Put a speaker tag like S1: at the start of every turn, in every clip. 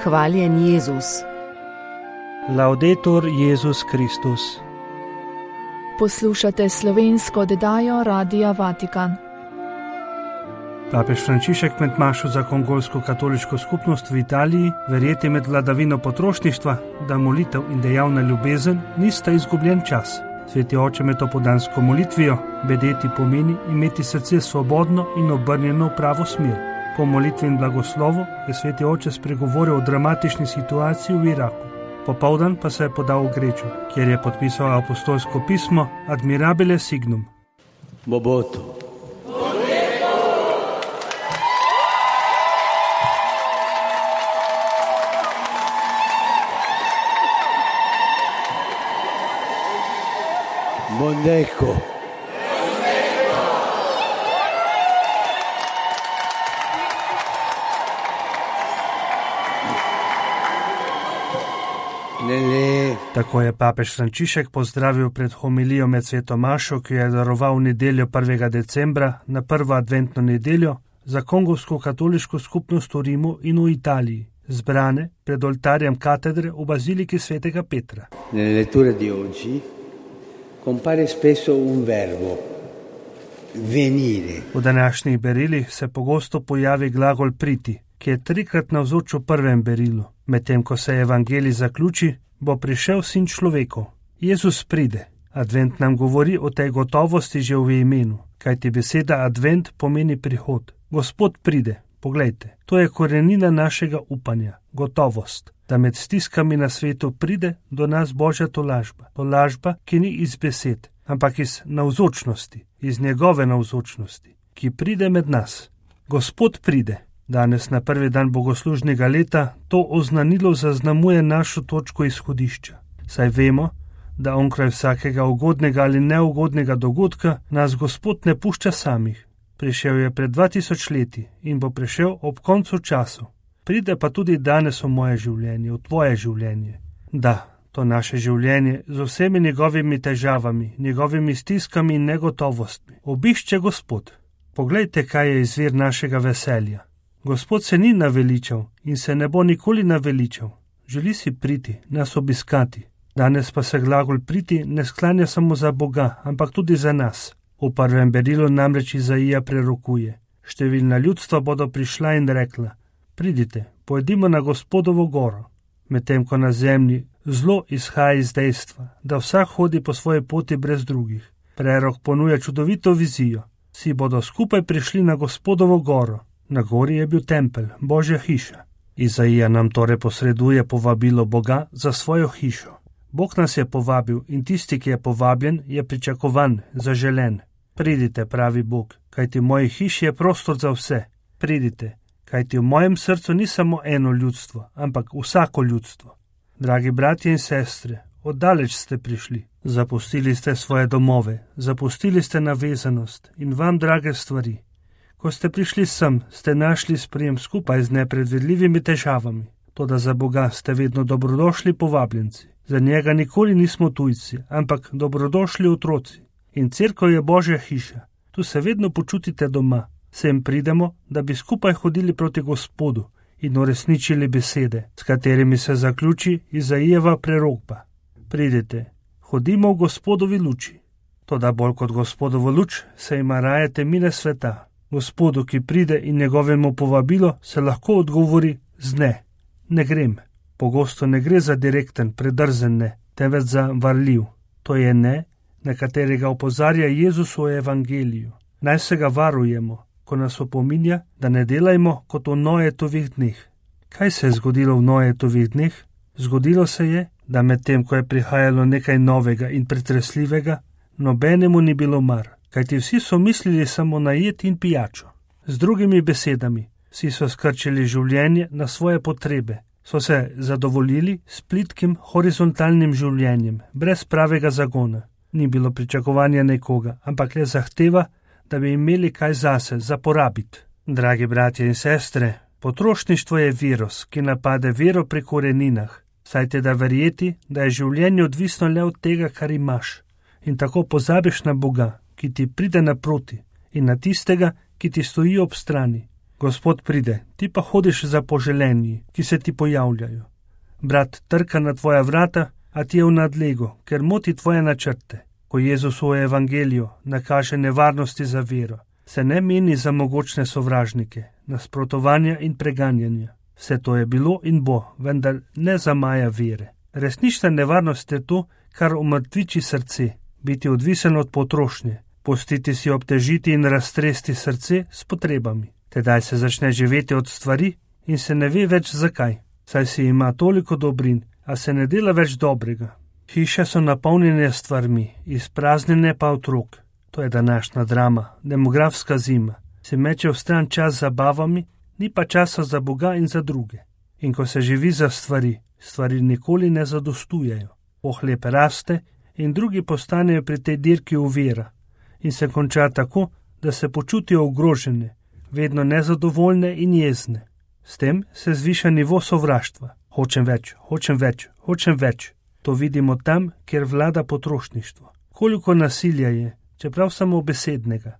S1: Hvaljen Jezus.
S2: Laudetur Jezus Kristus.
S3: Poslušate slovensko oddajo Radia Vatikan.
S2: Papež Frančišek med mašo za kongolsko katoliško skupnost v Italiji verjeti med vladavino potrošništva, da molitev in dejavna ljubezen nista izgubljen čas. Sveti oče med opodansko molitvijo bedeti pomeni imeti srce svobodno in obrnjeno v pravo smer. Po molitvi in blagoslovu je sveti oče spregovoril o dramatični situaciji v Iraku. Popoldan pa se je podal v Grečo, kjer je podpisal apostolsko pismo Admirabile Signum.
S4: Mobutu. Mondeko.
S2: Tako je papež Frančišek pozdravil pred homilijo med sveto mašo, ki jo je daroval v nedeljo 1. decembra na prvo adventno nedeljo za kongolsko katoliško skupnost v Rimu in v Italiji, zbrane pred oltarjem katedre v baziliki svetega Petra.
S4: Nelle letture di oggi compare spesso un verbo, venire.
S2: V današnjih berilih se pogosto pojavi glagol priti, ki je 3krat navzoč v prvem berilu. Medtem ko se evangelij zaključi, bo prišel sin človekov. Jezus pride. Advent nam govori o tej gotovosti že v imenu, kajti beseda advent pomeni prihod. Gospod pride. Poglejte, to je korenina našega upanja, gotovost, da med stiskami na svetu pride do nas Božja tolažba. Tolažba, ki ni iz besed, ampak iz navzočnosti, iz njegove navzočnosti, ki pride med nas. Gospod pride. Danes na prvi dan bogoslužnega leta to oznanilo zaznamuje našo točko izhodišča. Saj vemo, da onkraj vsakega ugodnega ali neugodnega dogodka nas Gospod ne pušča samih. Prišel je pred 2000 leti in bo prišel ob koncu času. Pride pa tudi danes v moje življenje, v tvoje življenje. Da, to naše življenje z vsemi njegovimi težavami, njegovimi stiskami in negotovostmi. Obišče Gospod. Poglejte, kaj je izvir našega veselja. Gospod se ni naveličal in se ne bo nikoli naveličal. Želi si priti, nas obiskati. Danes pa se glagol priti ne sklanja samo za Boga, ampak tudi za nas. V prvem berilu namreč Izaija prerokuje. Številna ljudstva bodo prišla in rekla, pridite, pojdimo na Gospodovo goro. Medtem ko na zemlji zlo izhaja iz dejstva, da vsak hodi po svoji poti brez drugih. Prerok ponuja čudovito vizijo. Vsi bodo skupaj prišli na Gospodovo goro. Na gori je bil tempelj, Božja hiša. Izaija nam torej posreduje povabilo Boga za svojo hišo. Bog nas je povabil in tisti, ki je povabljen, je pričakovan, zaželen. Pridite, pravi Bog, kajti v moji hiši je prostor za vse. Pridite, kajti v mojem srcu ni samo eno ljudstvo, ampak vsako ljudstvo. Dragi bratje in sestre, oddaleč ste prišli. Zapustili ste svoje domove, zapustili ste navezanost in vam drage stvari. Ko ste prišli sem, ste našli sprejem skupaj z nepredvidljivimi težavami. Toda za Boga ste vedno dobrodošli povabljenci. Za njega nikoli nismo tujci, ampak dobrodošli otroci. In cerkev je Božja hiša. Tu se vedno počutite doma. Sem pridemo, da bi skupaj hodili proti Gospodu in uresničili besede, s katerimi se zaključi Izaijeva prerokba. Pridite, hodimo v Gospodovi luči. Toda bolj kot Gospodovo luč se ima raje temine sveta. Gospodu, ki pride in njegovemu povabilo, se lahko odgovori z ne. Ne grem. Pogosto ne gre za direkten, predrzen ne, temveč za varljiv. To je ne, na katerega opozarja Jezus v evangeliju. Naj se ga varujemo, ko nas opominja, da ne delajmo kot v Noetovih dneh. Kaj se je zgodilo v Noetovih dneh? Zgodilo se je, da medtem, ko je prihajalo nekaj novega in pretresljivega, nobenemu ni bilo mar. Kajti vsi so mislili samo na jed in pijačo. Z drugimi besedami, vsi so skrčili življenje na svoje potrebe, so se zadovoljili s plitkim horizontalnim življenjem, brez pravega zagona. Ni bilo pričakovanja nekoga, ampak le zahteva, da bi imeli kaj zase, za porabiti. Dragi bratje in sestre, potrošništvo je virus, ki napade vero pri koreninah. Saj te da verjeti, da je življenje odvisno le od tega, kar imaš. In tako pozabiš na Boga, ki ti pride naproti, in na tistega, ki ti stoji ob strani. Gospod pride, ti pa hodiš za poželenji, ki se ti pojavljajo. Brat trka na tvoja vrata, a ti je v nadlegu, ker moti tvoje načrte. Ko Jezus v evangeliju nakaže nevarnosti za vero, se ne meni za mogočne sovražnike, nasprotovanja in preganjanja. Vse to je bilo in bo, vendar ne zamaja vere. Resnična nevarnost je to, kar umrtviči srce, biti odvisen od potrošnje, pustiti si obtežiti in raztresti srce s potrebami. Tedaj se začne živeti od stvari in se ne ve več zakaj, saj si ima toliko dobrin, a se ne dela več dobrega. Hiše so napolnjene stvarmi, izpraznjene pa otrok. To je današnja drama, demografska zima. Se meče v stran čas z zabavami, ni pa časa za Boga in za druge. In ko se živi za stvari nikoli ne zadostujejo. Pohlep raste in drugi postanejo pri tej dirki uvira. In se konča tako, da se počutijo ogrožene, vedno nezadovoljne in jezne. S tem se zviša nivo sovraštva. Hočem več, hočem več, hočem več. To vidimo tam, kjer vlada potrošništvo. Koliko nasilja je, čeprav samo besednega.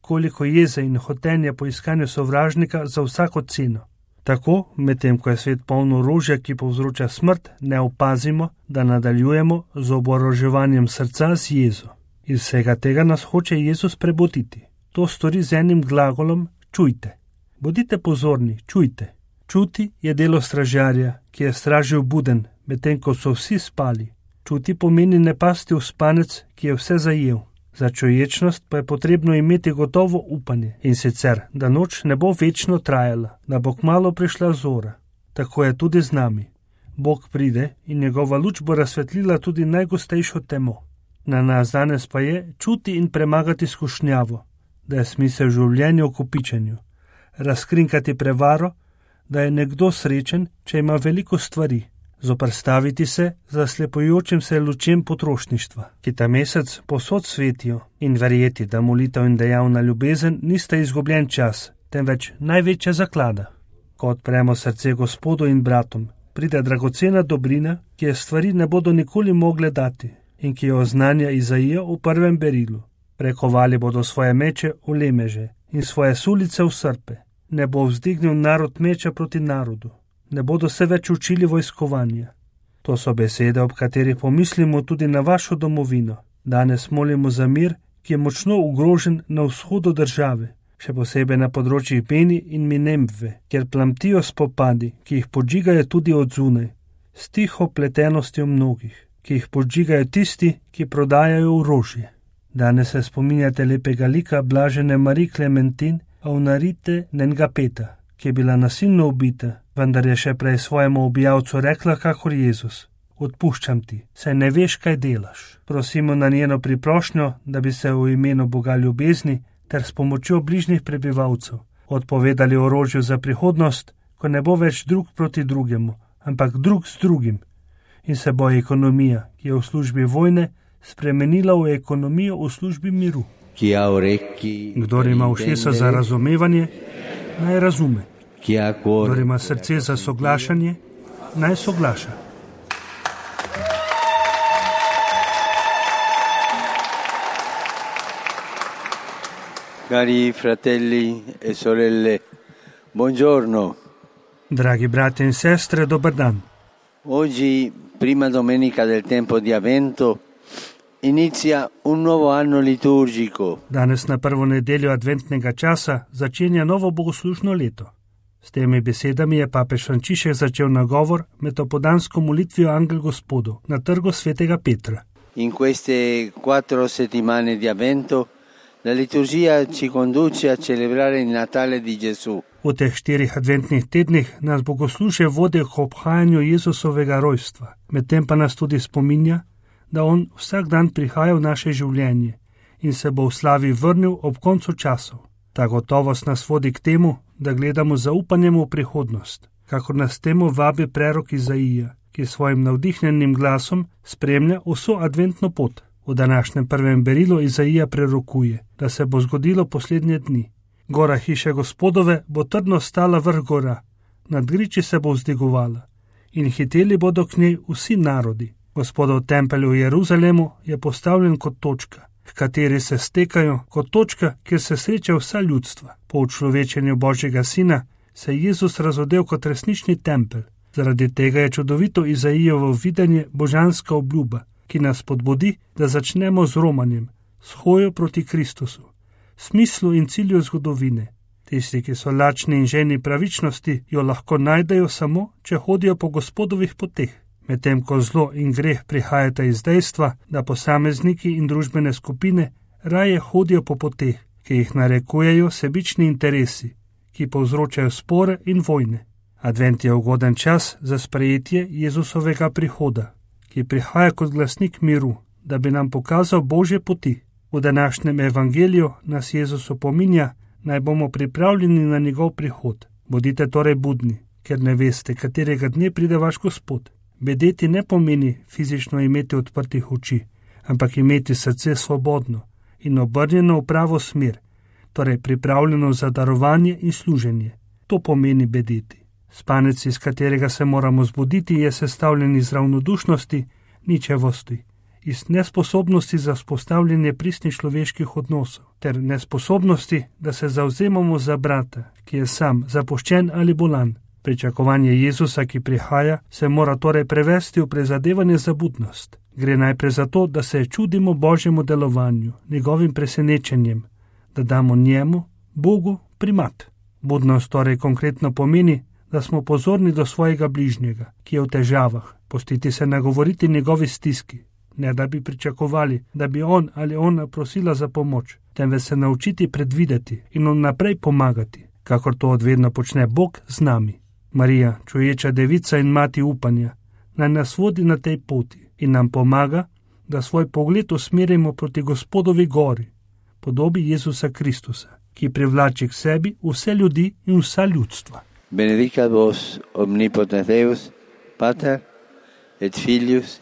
S2: Koliko jeze in hotenja po iskanju sovražnika za vsako ceno. Tako, medtem ko je svet poln orožja, ki povzroča smrt, ne opazimo, da nadaljujemo z oboroževanjem srca z jezo. Iz vsega tega nas hoče Jezus prebuditi. To stori z enim glagolom čujte. Bodite pozorni, čujte. Čuti je delo stražarja, ki je stražil buden, medtem ko so vsi spali. Čuti pomeni ne pasti v spanec, ki je vse zajel. Za čuječnost pa je potrebno imeti gotovo upanje, in sicer, da noč ne bo večno trajala, da bo kmalu prišla zora. Tako je tudi z nami. Bog pride in njegova luč bo razsvetlila tudi najgostejšo temo. Na nas danes pa je čuti in premagati skušnjavo, da je smisel življenja v kopičenju. Razkrinkati prevaro, da je nekdo srečen, če ima veliko stvari. Zoprstaviti se zaslepujočim se lučem potrošništva, ki ta mesec posod svetijo, in verjeti, da molitev in dejavna ljubezen nista izgubljen čas, temveč največja zaklada. Ko odpremo srce Gospodu in bratom, pride dragocena dobrina, ki je stvari ne bodo nikoli mogle dati in ki jo oznanja Izaija v prvem berilu. Prekovali bodo svoje meče v lemeže in svoje sulice v srpe. Ne bo vzdignil narod meča proti narodu. Ne bodo se več učili vojskovanja. To so besede, ob katerih pomislimo tudi na vašo domovino. Danes molimo za mir, ki je močno ogrožen na vzhodu države, še posebej na področjih Beni in Minembve, kjer plamtijo spopadi, ki jih podžigajo tudi od zunaj, s tiho pletenostjo mnogih, ki jih podžigajo tisti, ki prodajajo orožje. Danes se spominjate lepega lika blažene Marie Clementine Aunarite Nengapeta, ki je bila nasilno ubita, vendar je še prej svojemu ubijalcu rekla kakor Jezus: odpuščam ti, saj ne veš, kaj delaš. Prosimo na njeno priprošnjo, da bi se v imenu Boga ljubezni ter s pomočjo bližnjih prebivalcev odpovedali orožju za prihodnost, ko ne bo več drug proti drugemu, ampak drug s drugim, in se bo ekonomija, ki je v službi vojne, spremenila v ekonomijo v službi miru. Kdor ima ušesa za razumevanje, naj razume. Kdor ima srce za soglašanje, naj soglaša.
S4: Cari fratelli e sorelle, buongiorno.
S2: Dragi brati in sestre, dober dan.
S4: Oggi, prima domenica del tempo di Avvento, inizia un nuovo anno liturgico.
S2: Danes na prvo nedeljo adventnega časa začenja novo bogoslužno leto. S temi besedami je papež Frančišek začel nagovor med opoldansko molitvijo Angel Gospodu na trgu svetega Petra.
S4: In queste 4 settimane di Avvento la liturgia ci conduce a celebrare il Natale di Gesù.
S2: V teh 4 adventnih tednih nas bogoslužje vodi k obhajanju Jezusovega rojstva, medtem pa nas tudi spominja, da on vsak dan prihaja v naše življenje in se bo v slavi vrnil ob koncu časov. Ta gotovost nas vodi k temu, da gledamo z zaupanjem v prihodnost, kakor nas temu vabi prerok Izaija, ki svojim navdihnjenim glasom spremlja vso adventno pot. V današnjem prvem berilu Izaija prerokuje, da se bo zgodilo poslednje dni. Gora hiše Gospodove bo trdno stala vrh gora, nad griči se bo vzdigovala in hiteli bodo k njej vsi narodi. Gospodov tempelj v Jeruzalemu je postavljen kot točka, h kateri se stekajo kot točka, kjer se sreča vsa ljudstva. Po učlovečenju Božjega sina se je Jezus razodel kot resnični tempelj. Zaradi tega je čudovito Izaijevo videnje božanska obljuba, ki nas podbudi, da začnemo z romanjem, s hojo proti Kristusu, smislu in cilju zgodovine. Tisti, ki so lačni in ženi pravičnosti, jo lahko najdejo samo, če hodijo po Gospodovih poteh. Medtem ko zlo in greh prihajata iz dejstva, da posamezniki in družbene skupine raje hodijo po poteh, ki jih narekujejo sebični interesi, ki povzročajo spore in vojne. Advent je ugoden čas za sprejetje Jezusovega prihoda, ki prihaja kot glasnik miru, da bi nam pokazal Božje poti. V današnjem evangeliju nas Jezus opominja, naj bomo pripravljeni na njegov prihod. Bodite torej budni, ker ne veste, katerega dne pride vaš Gospod. Bedeti ne pomeni fizično imeti odprtih oči, ampak imeti srce svobodno in obrnjeno v pravo smer, torej pripravljeno za darovanje in služenje. To pomeni bedeti. Spanec, iz katerega se moramo zbuditi, je sestavljen iz ravnodušnosti, ničevosti, iz nesposobnosti za vzpostavljanje pristnih človeških odnosov, ter nesposobnosti, da se zavzemamo za brata, ki je sam, zapuščen ali bolan. Pričakovanje Jezusa, ki prihaja, se mora torej prevesti v prizadevanje za budnost. Gre najprej za to, da se čudimo Božjemu delovanju, njegovim presenečenjem, da damo njemu, Bogu, primat. Budnost torej konkretno pomeni, da smo pozorni do svojega bližnjega, ki je v težavah, pustiti se nagovoriti njegovi stiski, ne da bi pričakovali, da bi on ali ona prosila za pomoč, temveč se naučiti predvideti in vnaprej pomagati, kakor to odvedno počne Bog z nami. Marija, čuječa devica in mati upanja, naj nas vodi na tej poti in nam pomaga, da svoj pogled usmerimo proti Gospodovi gori, podobi Jezusa Kristusa, ki privlači k sebi vse ljudi in vsa ljudstva.
S4: Benedicat vos omnipotens Deus, Pater et Filius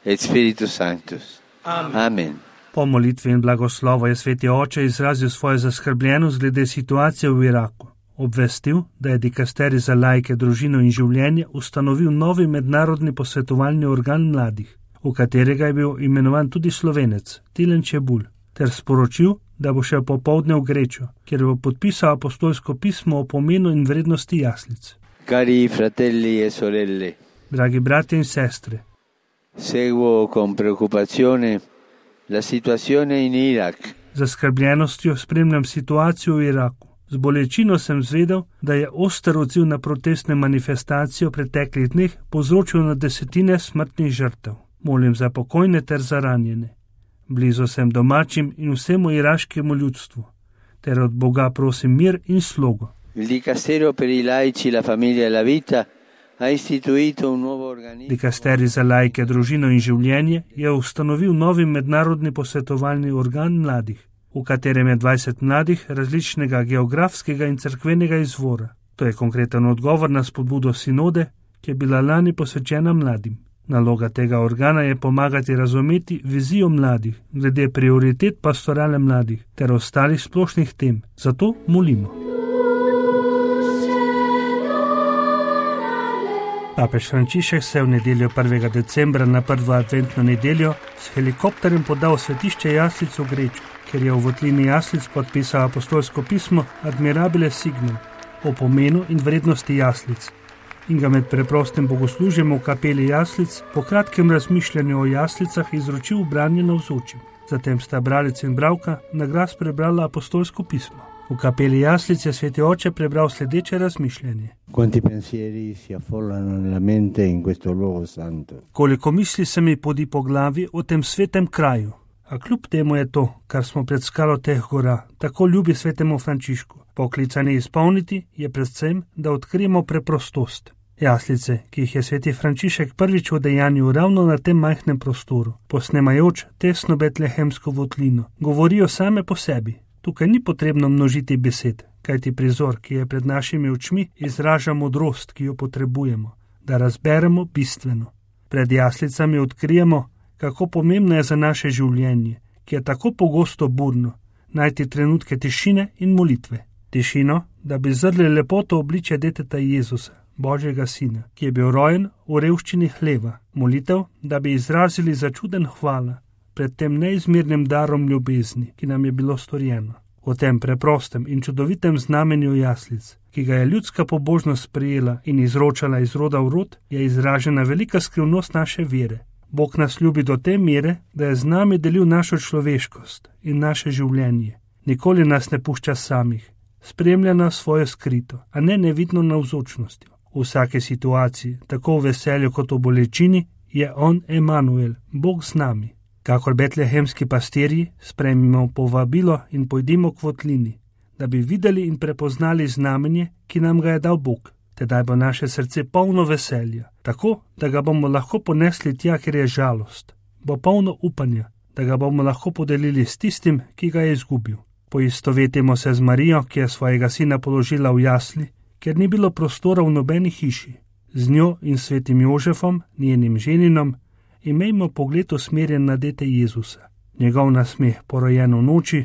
S4: et Spiritus Sanctus. Amen.
S2: Po molitvi in blagoslovu je sveti oče izrazil svojo zaskrbljenost glede situacije v Iraku. Obvestil, da je dikasterij za laike, družino in življenje ustanovil novi mednarodni posvetovalni organ mladih, v katerega je bil imenovan tudi Slovenec, Tilen Čebulj, ter sporočil, da bo šel popoldne v Grečo, kjer bo podpisal apostolsko pismo o pomenu in vrednosti jaslic.
S4: Cari fratelli e sorelle,
S2: dragi bratje in sestre,
S4: seguo con preoccupazione la situazione in Iraq.
S2: Z zaskrbljenostjo spremljam situacijo v Iraku. Z bolečino sem zvedel, da je oster odziv na protestne manifestacije v preteklih dneh povzročil na desetine smrtnih žrtev. Molim za pokojne ter za ranjene. Blizu sem domačim in vsemu iraškemu ljudstvu, ter od Boga prosim mir in slogo.
S4: Il Dicastero per i laici, la famiglia e la vita ha istituito un nuovo organismo.
S2: Dikasterij za laike, družino in življenje je ustanovil novi mednarodni posvetovalni organ mladih, v katerem je 20 mladih različnega geografskega in cerkvenega izvora. To je konkreten odgovor na spodbudo sinode, ki je bila lani posvečena mladim. Naloga tega organa je pomagati razumeti vizijo mladih, glede prioritet pastorale mladih ter ostalih splošnih tem. Zato molimo. Papež Frančišek se je v nedeljo 1. decembra na prvo adventno nedeljo s helikopterjem podal v svetišče jaslic v Grečo, ker je v votlini jaslic podpisal apostolsko pismo Admirabile Signum o pomenu in vrednosti jaslic in ga med preprostim bogoslužjem v kapeli jaslic po kratkem razmišljanju o jaslicah izročil v branje navzočim. Zatem sta bralec in bralka na glas prebrala apostolsko pismo. V kapeli jaslic je sveti oče prebral sledeče razmišljanje.
S4: Quanti pensieri si affollano nella mente in questo luogo santo.
S2: Koliko misli se mi podi po glavi o tem svetem kraju. A kljub temu je to, kar smo pred skalo teh gora, tako ljubi svetemu Frančišku. Poklicani izpolniti je predvsem, da odkrijemo preprostost. Jaslice, ki jih je sveti Frančišek prvič udejanil ravno na tem majhnem prostoru, posnemajoč tesno betlehemsko votlino, govorijo same po sebi. Tukaj ni potrebno množiti besed, kajti prizor, ki je pred našimi očmi, izraža modrost, ki jo potrebujemo, da razberemo bistveno. Pred jaslicami odkrijemo, kako pomembno je za naše življenje, ki je tako pogosto burno, najti trenutke tišine in molitve. Tišino, da bi zrli lepoto obličja deteta Jezusa, Božjega sina, ki je bil rojen v revščini hleva. Molitev, da bi izrazili začuden hvala, pred tem neizmernim darom ljubezni, ki nam je bilo storjeno. O tem preprostem in čudovitem znamenju jaslic, ki ga je ljudska pobožnost sprejela in izročala iz roda v rod, je izražena velika skrivnost naše vere. Bog nas ljubi do te mere, da je z nami delil našo človeškost in naše življenje. Nikoli nas ne pušča samih, spremlja nas svojo skrito, a ne nevidno navzočnostjo. V vsake situaciji, tako v veselju kot v bolečini, je on Emanuel, Bog z nami. Kakor betlehemski pastirji, sprejmimo povabilo in pojdimo k votlini, da bi videli in prepoznali znamenje, ki nam ga je dal Bog. Tedaj bo naše srce polno veselja, tako, da ga bomo lahko ponesli tja, kjer je žalost. Bo polno upanja, da ga bomo lahko podelili s tistim, ki ga je izgubil. Poistovetimo se z Marijo, ki je svojega sina položila v jasli, ker ni bilo prostora v nobeni hiši. Z njo in svetim Jožefom, njenim ženinom, imejmo pogled usmerjen na dete Jezusa. Njegov nasmeh, porojen v noči,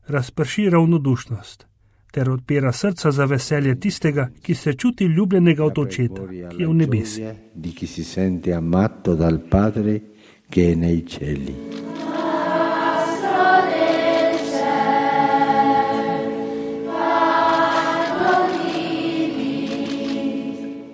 S2: razprši ravnodušnost ter odpira srca za veselje tistega, ki se čuti ljubljenega od očeta, ki je v nebesi.
S4: Di chi si sente amato dal Padre che è nei cieli.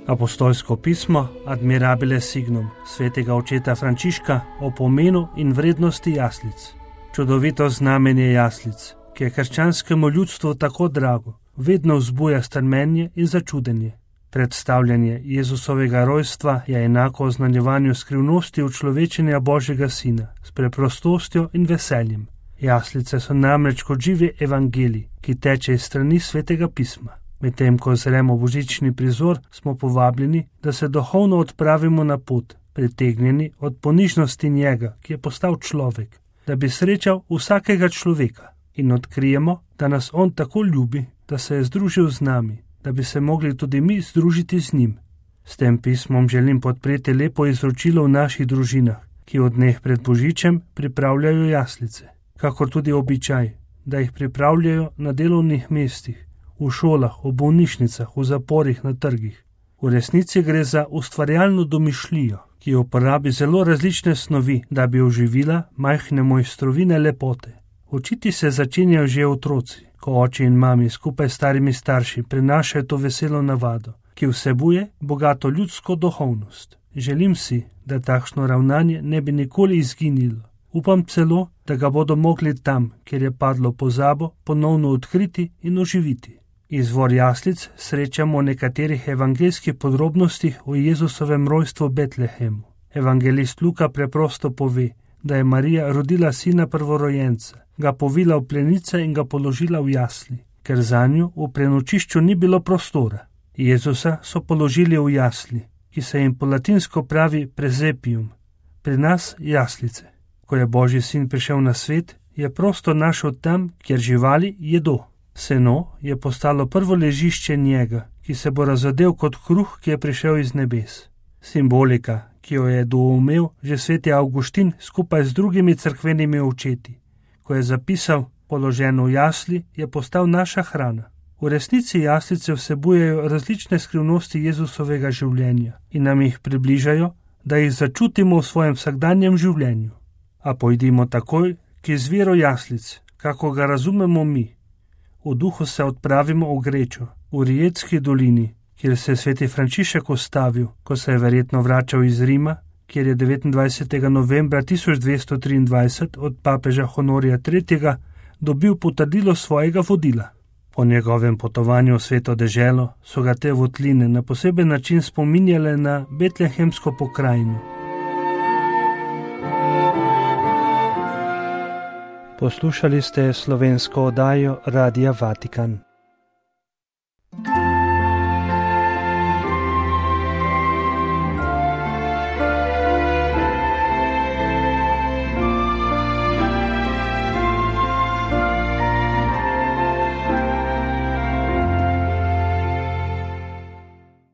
S2: Apostolsko pismo Admirabile Signum svetega očeta Frančiška o pomenu in vrednosti jaslic. Čudovito znamenje jaslic, ki je krščanskemu ljudstvu tako drago, vedno vzbuja strmenje in začudenje. Predstavljanje Jezusovega rojstva je enako oznanjevanju skrivnosti učlovečenja Božjega Sina s preprostostjo in veseljem. Jaslice so namreč kot živi evangelij, ki teče iz strani svetega pisma. Medtem ko zremo božični prizor, smo povabljeni, da se duhovno odpravimo na pot, pritegnjeni od ponižnosti njega, ki je postal človek, da bi srečal vsakega človeka in odkrijemo, da nas on tako ljubi, da se je združil z nami, da bi se mogli tudi mi združiti z njim. S tem pismom želim podpreti lepo izročilo v naših družinah, ki od dneh pred božičem pripravljajo jaslice, kakor tudi običaj, da jih pripravljajo na delovnih mestih, v šolah, v bolnišnicah, v zaporih, na trgih. V resnici gre za ustvarjalno domišljijo, ki uporabi zelo različne snovi, da bi oživila majhne mojstrovine lepote. Učiti se začenjajo že otroci, ko oči in mami skupaj s starimi starši prenašajo to veselo navado, ki vsebuje bogato ljudsko duhovnost. Želim si, da takšno ravnanje ne bi nikoli izginilo. Upam celo, da ga bodo mogli tam, kjer je padlo pozabo, ponovno odkriti in oživiti. Izvor jaslic srečamo v nekaterih evangeljskih podrobnostih o Jezusovem rojstvu v Betlehemu. Evangelist Luka preprosto pove, da je Marija rodila sina prvorojenca, ga povila v plenice in ga položila v jasli, ker zanju v prenočišču ni bilo prostora. Jezusa so položili v jasli, ki se jim po latinsko pravi presepium, pri nas jaslice. Ko je Božji sin prišel na svet, je prostor našel tam, kjer živali jedo. Seno je postalo prvo ležišče njega, ki se bo razodel kot kruh, ki je prišel iz nebes. Simbolika, ki jo je doumel že sveti Avguštin skupaj z drugimi cerkvenimi očeti, ko je zapisal, položen v jasli, je postal naša hrana. V resnici jaslice vsebujejo različne skrivnosti Jezusovega življenja in nam jih približajo, da jih začutimo v svojem vsakdanjem življenju. A pojdimo takoj k izviru jaslic, kako ga razumemo mi. V duhu se odpravimo v Grečo, v Rijetski dolini, kjer se je sveti Frančišek ustavil, ko se je verjetno vračal iz Rima, kjer je 29. novembra 1223 od papeža Honorija III. Dobil potrdilo svojega vodila. Po njegovem potovanju v sveto deželo so ga te votline na poseben način spominjale na betlehemsko pokrajino. Poslušali ste slovensko oddajo Radia Vatikan.